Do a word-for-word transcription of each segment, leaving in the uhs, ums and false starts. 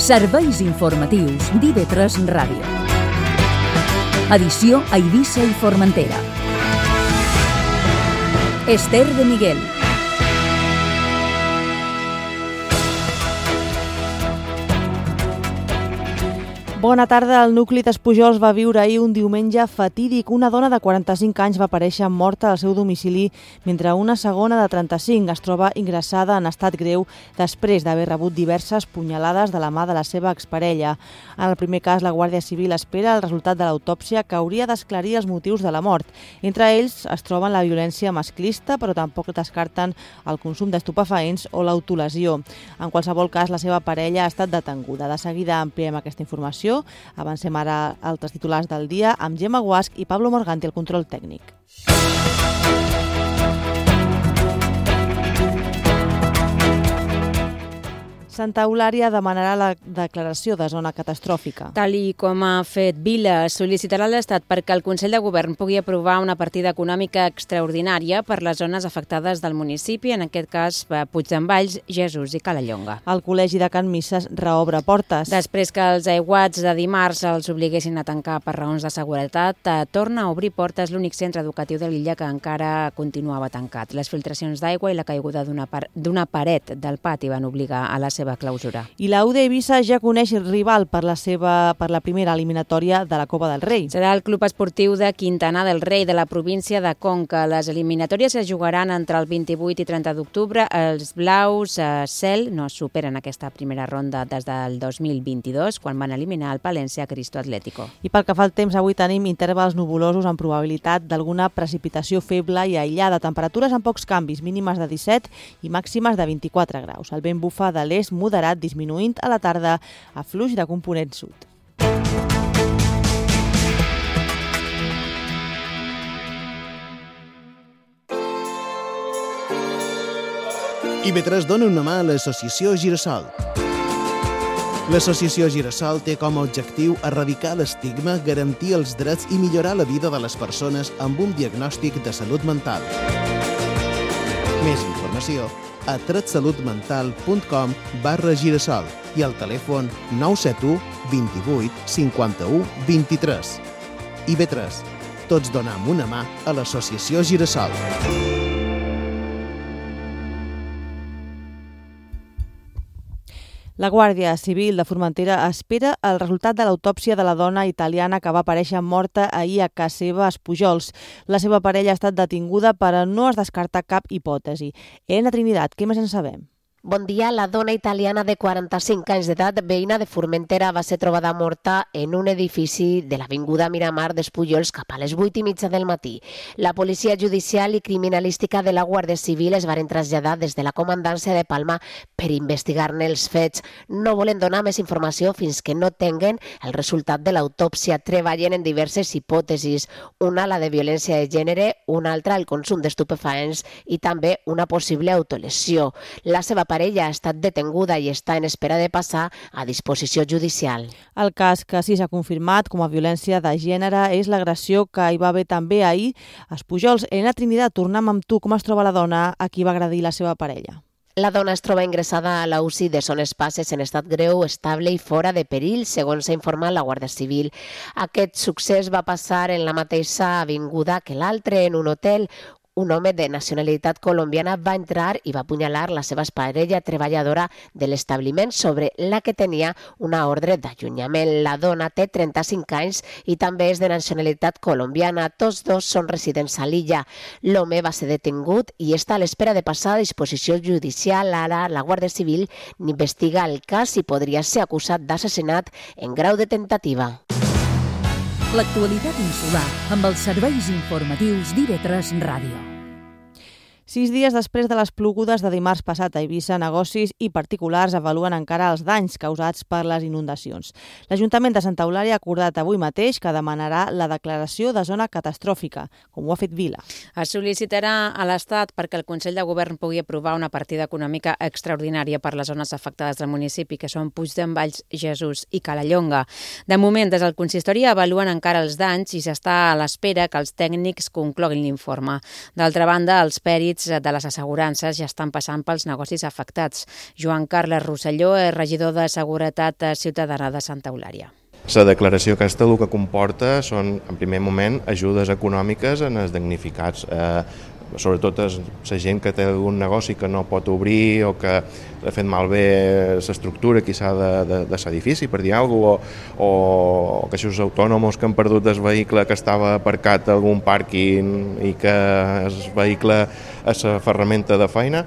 Serveis informatius d'I V tres Ràdio. Edició a Eivissa i Formentera. Esther de Miguel. Bona tarda. El nucli d'Espujols va viure ahir un diumenge fatídic. Una dona de quaranta-cinc anys va aparèixer morta al seu domicili, mentre una segona de trenta-cinc es troba ingressada en estat greu després d'haver rebut diverses punyalades de la mà de la seva exparella. En el primer cas, la Guàrdia Civil espera el resultat de l'autòpsia que hauria d'esclarir els motius de la mort. Entre ells es troben la violència masclista, però tampoc descarten el consum d'estupefaents o l'autolesió. En qualsevol cas, la seva parella ha estat detenguda. De seguida ampliem aquesta informació. Avancem ara altres titulars del dia amb Gemma Guasch i Pablo Morganti al control tècnic. Santa Eulària demanarà la declaració de zona catastròfica. Tal i com ha fet Vila, sol·licitarà a l'Estat perquè el Consell de Govern pugui aprovar una partida econòmica extraordinària per les zones afectades del municipi, en aquest cas Puigdemvalls, Jesús i Calellonga. El Col·legi de Can Misses reobre portes. Després que els aiguats de dimarts els obliguessin a tancar per raons de seguretat, torna a obrir portes l'únic centre educatiu de l'illa que encara continuava tancat. Les filtracions d'aigua i la caiguda d'una par- d'una paret del pati van obligar a la seva clausura. I la U D Eivissa ja coneix el rival per la seva per la primera eliminatòria de la Copa del Rei. Serà el Club Esportiu de Quintana del Rei de la província de Conca. Les eliminatòries es jugaran entre el vint-i-vuit i trenta d'octubre. Els blaus eh, cel no superen aquesta primera ronda des del dos mil vint-i-dos, quan van eliminar el Palència Cristo Atlético. I pel que fa al temps, avui tenim intervals nuvolosos amb probabilitat d'alguna precipitació feble i aïllada. Temperatures amb pocs canvis, mínimes de disset i màximes de vint-i-quatre graus. El vent bufa de l'est moderat, disminuint a la tarda a fluix de component sud. I V tres dona una mà a l'associació Girasol. L'associació Girasol té com a objectiu erradicar l'estigma, garantir els drets i millorar la vida de les persones amb un diagnòstic de salut mental. Més informació a tretsalutmental.com barra girasol i al telèfon nou set u, vint-i-vuit, cinquanta-u, vint-i-tres. I V tres. Tots donem una mà a l'associació Girasol. La Guàrdia Civil de Formentera espera el resultat de l'autòpsia de la dona italiana que va aparèixer morta ahir a casa seva a Espujols. La seva parella ha estat detinguda, però no es descarta cap hipòtesi. Elena Trinidad, què més en sabem? Bon dia. La dona italiana de quaranta-cinc anys d'edat, veïna de Formentera, va ser trobada morta en un edifici de l'avinguda Miramar d'Espullols cap a les vuit i mitja del matí. La policia judicial i criminalística de la Guàrdia Civil es varen traslladar des de la comandància de Palma per investigar-ne els fets. No volen donar més informació fins que no tinguen el resultat de l'autòpsia. Treballen en diverses hipòtesis, una la de violència de gènere, una altra el consum d'estupefaents i també una possible autolesió. La seva parella ha estat detenguda i està en espera de passar a disposició judicial. El cas que sí s'ha confirmat com a violència de gènere és l'agressió que hi va haver també ahir a Espujols. Elena Trinidad, tornem amb tu. Com es troba la dona a qui va agredir la seva parella? La dona es troba ingressada a la U C I de Son Espases en estat greu, estable i fora de perill, segons s'ha informat la Guàrdia Civil. Aquest succés va passar en la mateixa avinguda que l'altre, en un hotel. Un home de nacionalitat colombiana va entrar i va apunyalar la seva parella treballadora de l'establiment, sobre la que tenia una ordre d'allunyament. La dona té trenta-cinc anys i també és de nacionalitat colombiana. Tots dos són residents a l'illa. L'home va ser detingut i està a l'espera de passar a disposició judicial. Ara la Guàrdia Civil investiga el cas i podria ser acusat d'assassinat en grau de tentativa. L'actualitat insular amb els serveis informatius d'I V tres Ràdio. Sis dies després de les plogudes de dimarts passat a Eivissa, negocis i particulars avaluen encara els danys causats per les inundacions. L'Ajuntament de Santa Eulària ha acordat avui mateix que demanarà la declaració de zona catastròfica, com ho ha fet Vila. Es sol·licitarà a l'Estat perquè el Consell de Govern pugui aprovar una partida econòmica extraordinària per les zones afectades del municipi, que són Puigdemvalls, Jesús i Calellonga. De moment, des del consistori avaluen encara els danys i s'està a l'espera que els tècnics concloguin l'informe. D'altra banda, els pèrits de les assegurances ja estan passant pels negocis afectats. Joan Carles Rosselló és regidor de Seguretat Ciutadana de Santa Eulària. La declaració aquesta el que comporta són, en primer moment, ajudes econòmiques en els damnificats. Eh, sobretot la gent que té un negoci que no pot obrir o que ha fet malbé l'estructura quizà de, de, de l'edifici, per dir alguna cosa, o, o caixos autònoms que han perdut el vehicle que estava aparcat a algun pàrquing i que el vehicle és la ferramenta de feina.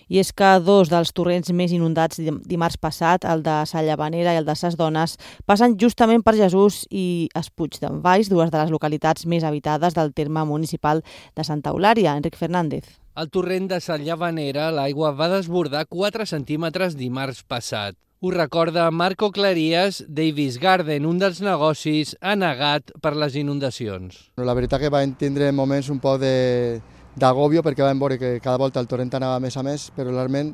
I és que dos dels torrents més inundats dimarts passat, el de Sa Llavanera i el de Ses Dones, passen justament per Jesús i es Puig d'en Valls, dues de les localitats més habitades del terme municipal de Santa Eulària. Enric Fernández. Al torrent de Sa Llavanera, l'aigua va desbordar quatre centímetres dimarts passat. Ho recorda Marco Clarías, Davis Garden, un dels negocis anegat per les inundacions. La veritat que va tindre moments un poc de d'agòbio perquè vam veure que cada volta el torrent anava més a més, però realment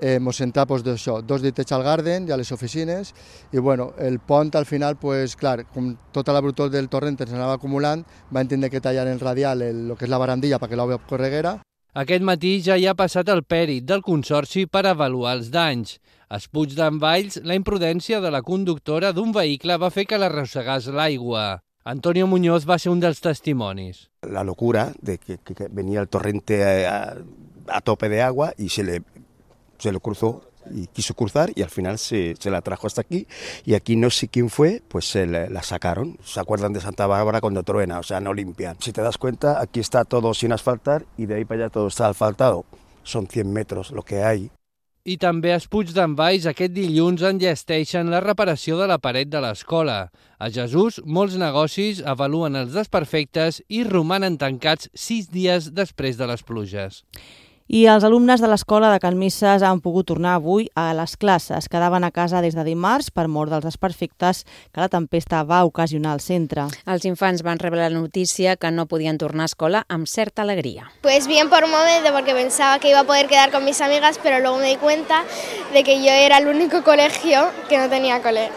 eh, ens centrà pues, d'això, dos ditets al Garden i a les oficines, i bueno, el pont al final, pues, clar, com tota la brutor del torrent ens anava acumulant, va entendre que tallar el radial, el, el que és la barandilla perquè l'aigua correguera. Aquest matí ja hi ha passat el pèrit del Consorci per avaluar els danys. A Puig d'en Valls, la imprudència de la conductora d'un vehicle va fer que l'arrossegàs l'aigua. Antonio Muñoz va ser un dels testimonis. La locura de que, que venía el torrente a, a tope de agua y se le, se lo cruzó y quiso cruzar y al final se, se la trajo hasta aquí y aquí no sé quién fue, pues se la, la sacaron. Se acuerdan de Santa Bárbara cuando truena, o sea, no limpian. Si te das cuenta, aquí está todo sin asfaltar y de ahí para allá todo está asfaltado. Son cien metros lo que hay. I també a Puig d'en Valls aquest dilluns enllesteixen la reparació de la paret de l'escola. A Jesús, molts negocis avaluen els desperfectes i romanen tancats sis dies després de les pluges. I els alumnes de l'escola de Can Misses han pogut tornar avui a les classes. Quedaven a casa des de dimarts per mor dels desperfectes que la tempesta va ocasionar al centre. Els infants van rebre la notícia que no podien tornar a escola amb certa alegria. Pues bien por un momento, porque pensaba que iba a poder quedar con mis amigas, pero luego me di cuenta de que yo era el único colegio que no tenía cole.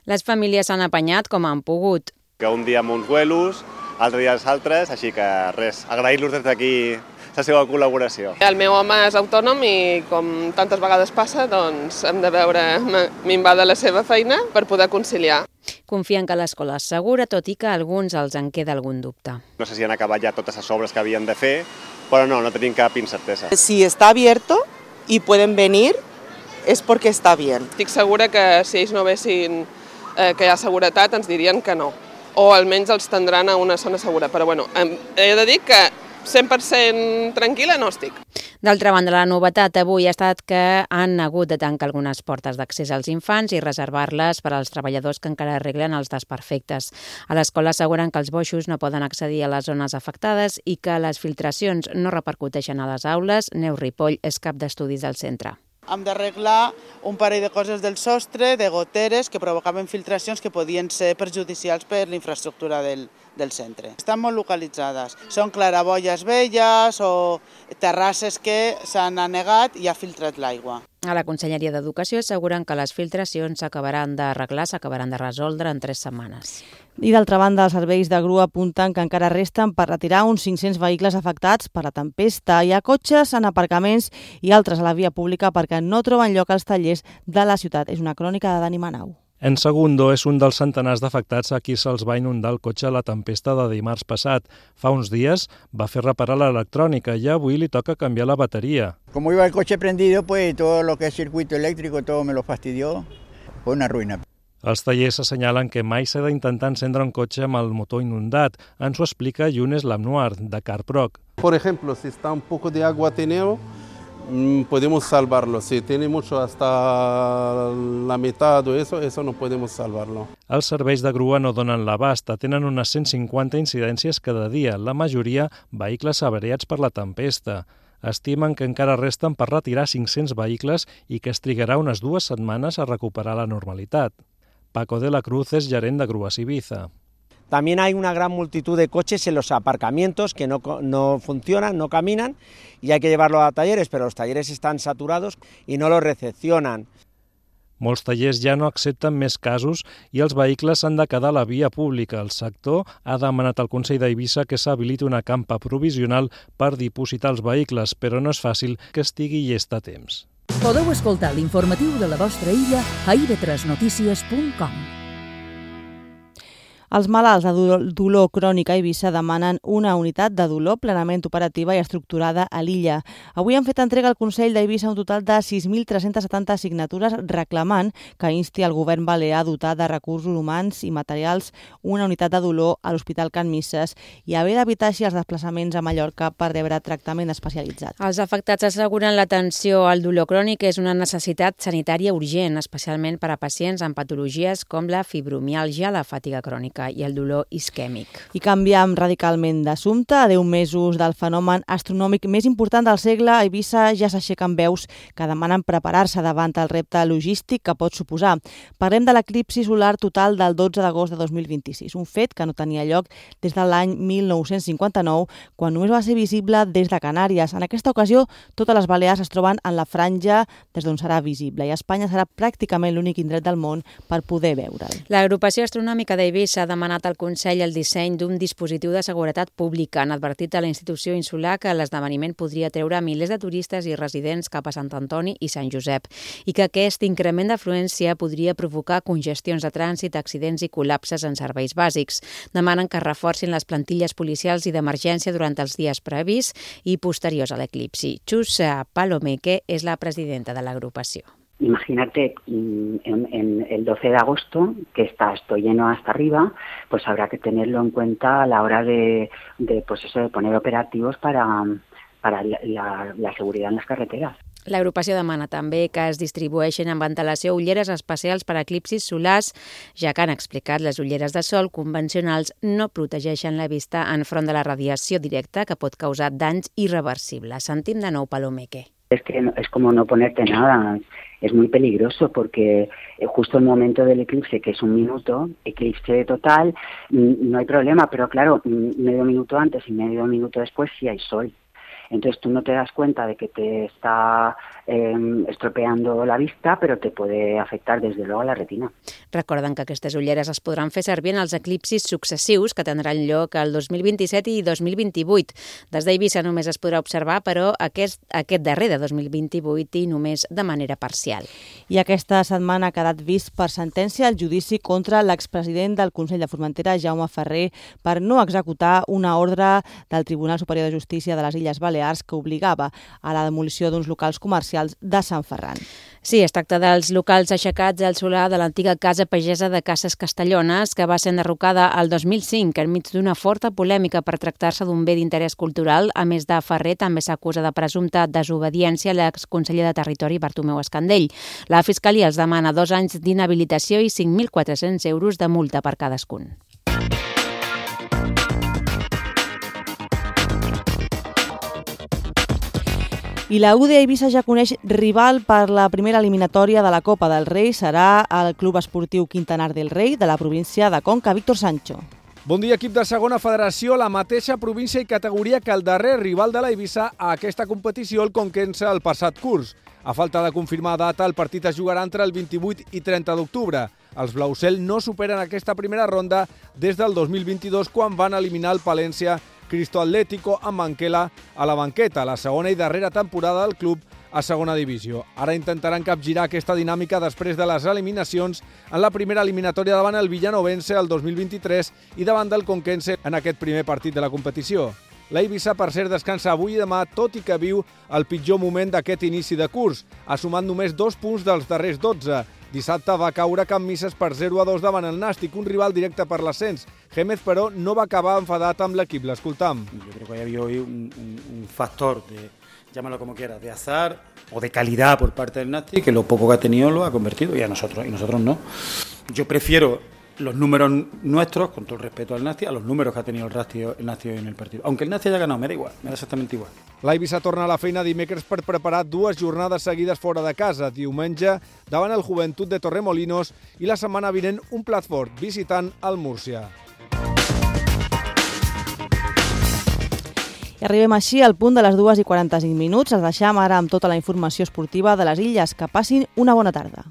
Les famílies s'han apanyat com han pogut. Que un dia amb uns vuelos, altre dia els altres, així que res, agrair-los des d'aquí la seva col·laboració. El meu home és autònom i, com tantes vegades passa, doncs hem de veure minvar de la seva feina per poder conciliar. Confien que l'escola és segura, tot i que a alguns els en queda algun dubte. No sé si han acabat ja totes les obres que havien de fer, però no, no tenim cap incertesa. Si està abierto y pueden venir, es porque está bien. Estic segura que si ells no vessin eh, que hi ha seguretat, ens dirien que no. O almenys els tindran a una zona segura. Però bueno, he de dir que cent per cent tranquil·la no estic. D'altra banda, la novetat avui ha estat que han hagut de tancar algunes portes d'accés als infants i reservar-les per als treballadors que encara arreglen els desperfectes. A l'escola asseguren que els boixos no poden accedir a les zones afectades i que les filtracions no repercuteixen a les aules. Neus Ripoll és cap d'estudis del centre. Hem d'arreglar un parell de coses del sostre, de goteres, que provocaven filtracions que podien ser perjudicials per la infraestructura del, del centre. Estan molt localitzades. Són claraboies velles o terrasses que s'han anegat i ha filtrat l'aigua. A la Conselleria d'Educació asseguren que les filtracions s'acabaran d'arreglar, s'acabaran de resoldre en tres setmanes. I d'altra banda, els serveis de grua apunten que encara resten per retirar uns cinc-cents vehicles afectats per la tempesta. Hi ha cotxes en aparcaments i altres a la via pública perquè no troben lloc als tallers de la ciutat. És una crònica de Dani Manau. En Segundo és un dels centenars d'afectats a qui se'ls va inundar el cotxe a la tempesta de dimarts passat. Fa uns dies va fer reparar l'electrònica i avui li toca canviar la bateria. Como iba el coche prendido, pues todo lo que es circuito eléctrico, todo me lo fastidió. Fue una ruïna. Els tallers assenyalen que mai s'ha d'intentar encendre un cotxe amb el motor inundat. Ens ho explica Younes Lamnoir, de Carproc. Por ejemplo, si está un poco de agua tenero, podemos salvarlo. Si tiene mucho hasta la mitad o eso, eso no podemos salvarlo. Els serveis de grua no donen l'abast. Tenen unes cent cinquanta incidències cada dia, la majoria vehicles avariats per la tempesta. Estimen que encara resten per retirar cinc-cents vehicles i que es trigarà unes dues setmanes a recuperar la normalitat. Paco de la Cruz es gerent de Grúas Ibiza. También hay una gran multitud de coches en los aparcamientos que no, no funcionan, no caminan y hay que llevarlos a talleres, pero los talleres están saturados y no los recepcionan. Molts tallers ja no accepten més casos i els vehicles s'han de quedar a la via pública. El sector ha demanat al Consell d'Eivissa que s'habiliti una campa provisional per dipositar els vehicles, però no és fàcil que estigui llest a temps. Podeu escoltar l'informatiu de la vostra illa a i ve tres notícies punt com. Els malalts de dolor crònic a Eivissa demanen una unitat de dolor plenament operativa i estructurada a l'illa. Avui han fet entrega al Consell d'Eivissa un total de sis mil tres-centes setanta signatures reclamant que insti el govern balear a dotar de recursos humans i materials una unitat de dolor a l'Hospital Can Misses i haver d'evitar així els desplaçaments a Mallorca per rebre tractament especialitzat. Els afectats asseguren l'atenció al dolor crònic és una necessitat sanitària urgent, especialment per a pacients amb patologies com la fibromiàlgia, la fatiga crònica i el dolor isquèmic. I canviem radicalment d'assumpte. A deu mesos del fenomen astronòmic més important del segle, a Eivissa ja s'aixequen veus que demanen preparar-se davant el repte logístic que pot suposar. Parlem de l'eclipsi solar total del dotze d'agost de dos mil vint-i-sis, un fet que no tenia lloc des de l'any mil nou-cents cinquanta-nou, quan només va ser visible des de Canàries. En aquesta ocasió, totes les Balears es troben en la franja des d'on serà visible i Espanya serà pràcticament l'únic indret del món per poder veure'l. L'Agrupació Astronòmica d'Eivissa ha demanat al Consell el disseny d'un dispositiu de seguretat pública. Han advertit a la institució insular que l'esdeveniment podria treure milers de turistes i residents cap a Sant Antoni i Sant Josep i que aquest increment d'afluència podria provocar congestions de trànsit, accidents i col·lapses en serveis bàsics. Demanen que reforcin les plantilles policials i d'emergència durant els dies previs i posteriors a l'eclipsi. Chus Palomeque és la presidenta de l'agrupació. Imagínate en, en el doce de agosto, que está esto lleno hasta arriba, pues habrá que tenerlo en cuenta a la hora de, de, pues eso, de poner operativos para, para la, la seguridad en las carreteras. L'agrupació demana també que es distribueixin amb ventilació ulleres especials per a eclipsis solars, ja que han explicat les ulleres de sol convencionals no protegeixen la vista enfront de la radiació directa que pot causar danys irreversibles. Sentim de nou Palomeque. Es que no, es como no ponerte nada, es muy peligroso porque justo el momento del eclipse, que es un minuto, eclipse total, no hay problema, pero claro, medio minuto antes y medio minuto después sí hay sol. Entonces tú no te das cuenta de que te está eh, estropeando la vista, però te puede afectar des de luego a la retina. Recorden que aquestes ulleres es podran fer servir en els eclipsis successius que tindran lloc el dos mil vint-i-set i dos mil vint-i-vuit. Des d'Eivissa només es podrà observar, però aquest, aquest darrer de dos mil vint-i-vuit i només de manera parcial. I aquesta setmana ha quedat vist per sentència el judici contra l'expresident del Consell de Formentera, Jaume Ferrer, per no executar una ordre del Tribunal Superior de Justícia de les Illes Balears que obligava a la demolició d'uns locals comercials de Sant Ferran. Sí, es tracta dels locals aixecats al solar de l'antiga casa pagesa de Cases Castellones, que va ser enderrocada el dos mil cinc enmig d'una forta polèmica per tractar-se d'un bé d'interès cultural. A més de Ferrer, també s'acusa de presumpta desobediència l'exconseller de Territori Bartomeu Escandell. La Fiscalia els demana dos anys d'inhabilitació i cinc mil quatre-cents euros de multa per cadascun. I la U D Eivissa ja coneix rival per la primera eliminatòria de la Copa del Rei. Serà el Club Esportiu Quintanar del Rei de la província de Conca. Víctor Sancho. Bon dia, equip de segona federació, la mateixa província i categoria que el darrer rival de l'Eivissa a aquesta competició, el Conquense, el passat curs. A falta de confirmar data, el partit es jugarà entre el vint-i-vuit i trenta d'octubre. Els Blaucel no superen aquesta primera ronda des del dos mil vint-i-dos, quan van eliminar el Palència Cristo Atlético amb Manquela a la banqueta, la segona i darrera temporada del club a segona divisió. Ara intentaran capgirar aquesta dinàmica després de les eliminacions en la primera eliminatòria davant el Villanovense el dos mil vint-i-tres i davant del Conquense en aquest primer partit de la competició. L'Eivissa, per cert, descansa avui i demà, tot i que viu el pitjor moment d'aquest inici de curs. Ha sumat només dos punts dels darrers dotze. Dissabte va caure Can Misses per zero a dos davant el Nàstic, un rival directe per l'ascens. Gémez, però, no va acabar enfadat amb l'equip. L'escoltam. Yo creo que ha habido hoy un, un, un factor de, llámalo como quieras, de azar o de calidad por parte del Nàstic, que lo poco que ha tenido lo ha convertido, y a nosotros, y nosotros no. Yo prefiero los números nuestros, con todo el respeto al Nàstic, a los números que ha tenido el Nàstic, el Nàstic en el partido. Aunque el Nàstic haya ganado, me da igual, me da exactamente igual. L'Eivissa torna a la feina dimecres per preparar dues jornades seguides fora de casa. Diumenge davant el Joventut de Torremolinos i la setmana vinent un plat fort visitant el Múrcia. I arribem així al punt de les dues i quaranta-cinc minuts. Els deixam ara amb tota la informació esportiva de les illes. Que passin una bona tarda.